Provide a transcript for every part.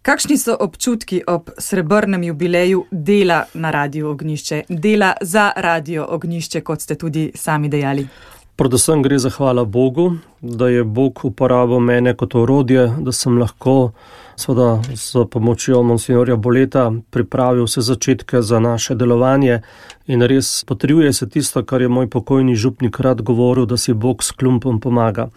Kakšni so občutki ob srebrnem jubileju dela na Radiu Ognjišče, dela za Radio Ognjišče, kot ste tudi sami dejali? Predvsem gre za hvala Bogu, da je Bog uporabil mene kot orodje, da sem lahko seveda s pomočjo monsinjorja Boleta pripravil vse začetke za naše delovanje in res potrjuje se tisto, kar je moj pokojni župnik rad govoril, da si Bog s klumpom pomaga.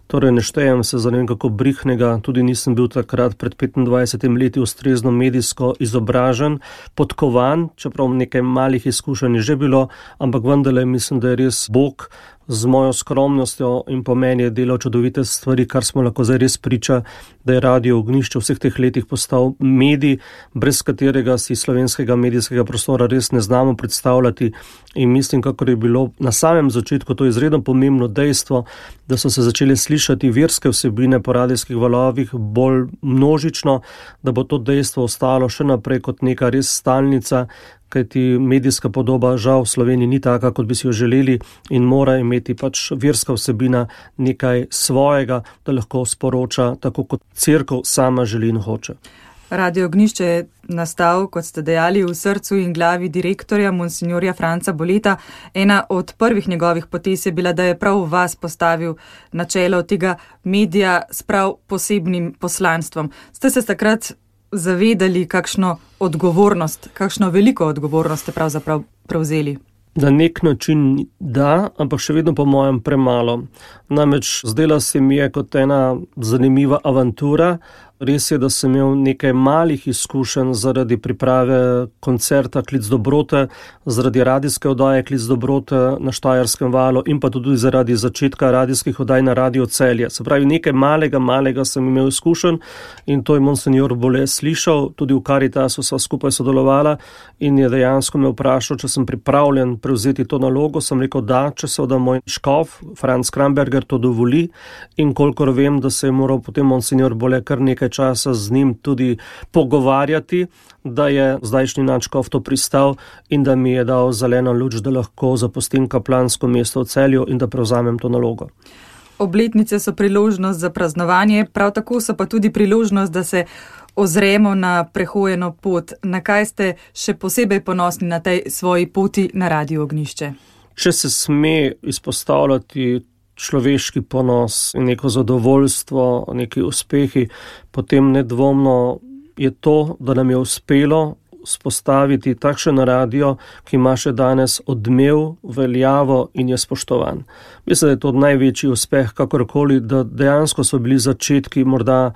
Torej ne štejem se za ne vem kako brihnega, tudi nisem bil takrat pred 25 leti ustrezno medijsko izobražen, podkovan, čeprav nekaj malih izkušenj je že bilo, ampak vendarle mislim, da je res Bog z mojo skromnostjo in po meni je delal čudovite stvari, kar smo lahko zdaj res priča, da je Radio Ognjišče v vseh teh letih postal medij, brez katerega si slovenskega medijskega prostora res ne znamo predstavljati. In mislim, kakor je bilo na samem začetku to izredno pomembno dejstvo, da so se začele slišati verske vsebine po radijskih valovih bolj množično, da bo to dejstvo ostalo še naprej kot neka res stalnica, kajti medijska podoba žal v Sloveniji ni taka, kot bi si jo želeli in mora imeti pač verska vsebina nekaj svojega, da lahko sporoča tako, kot cerkev sama želi in hoče. Radio Ognjišče je nastal, kot ste dejali, v srcu in glavi direktorja monsinjorja Franca Boleta. Ena od prvih njegovih potez je bila, da je prav vas postavil na čelo tega medija s prav posebnim poslanstvom. Ste se takrat zavedali, kakšno odgovornost, kakšno veliko odgovornost ste pravzaprav prevzeli? Na nek način da, ampak še vedno po mojem premalo. Namreč zdela se mi je kot ena zanimiva avantura. Res je, da sem imel nekaj malih izkušenj zaradi priprave koncerta Klic dobrote, zaradi radijske oddaje Klic dobrote na Štajerskem valu in pa tudi zaradi začetka radijskih oddaj na Radio Celje. Se pravi, nekaj malega sem imel izkušenj in to je monsinjor Bole slišal, tudi v Karitasu sva skupaj sodelovala in je dejansko me vprašal, če sem pripravljen prevzeti to nalogo. Sem rekel da, če seveda moj škof, Franc Kramberger, to dovoli in kolikor vem, da se je moral potem monsinjor Bole kar nekaj časa z njim tudi pogovarjati, da je zdajšnji nadškof to pristal in da mi je dal zeleno luč, da lahko zapustim kaplansko mesto v Celju in da prevzamem to nalogo. Obletnice so priložnost za praznovanje, prav tako so pa tudi priložnost, da se ozremo na prehojeno pot. Na kaj ste še posebej ponosni na tej svoji poti na Radio Ognjišče? Če se sme izpostavljati človeški ponos in neko zadovoljstvo, neki uspehi, potem nedvomno je to, da nam je uspelo spostaviti takšen radio, ki ima še danes odmev, veljavo in je spoštovan. Mislim, da je to največji uspeh kakorkoli, da dejansko so bili začetki morda,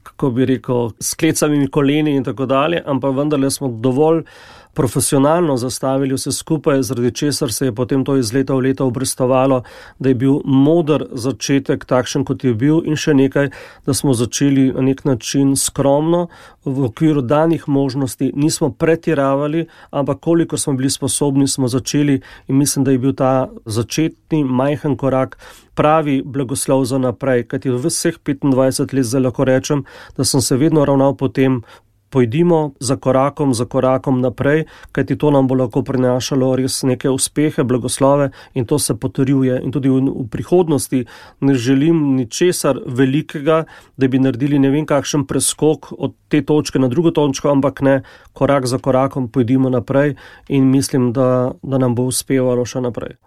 kako bi rekel, s klecavimi koleni in tako dalje, ampak vendarle smo dovolj profesionalno zastavili vse skupaj, zaradi česar se je potem to iz leta v leto obrestovalo, da je bil moder začetek takšen, kot je bil in še nekaj, da smo začeli na nek način skromno, v okviru danih možnosti, nismo pretiravali, ampak koliko smo bili sposobni, smo začeli in mislim, da je bil ta začetni majhen korak pravi blagoslov za naprej, kajti v vseh 25 let zdaj lahko rečem, da sem se vedno ravnal po tem, pojdimo za korakom naprej, kajti to nam bo lahko prinašalo res neke uspehe, blagoslove in to se potrjuje. In tudi v prihodnosti ne želim ničesar velikega, da bi naredili ne vem kakšen preskok od te točke na drugo točko, ampak ne, korak za korakom pojdimo naprej in mislim, da nam bo uspevalo še naprej.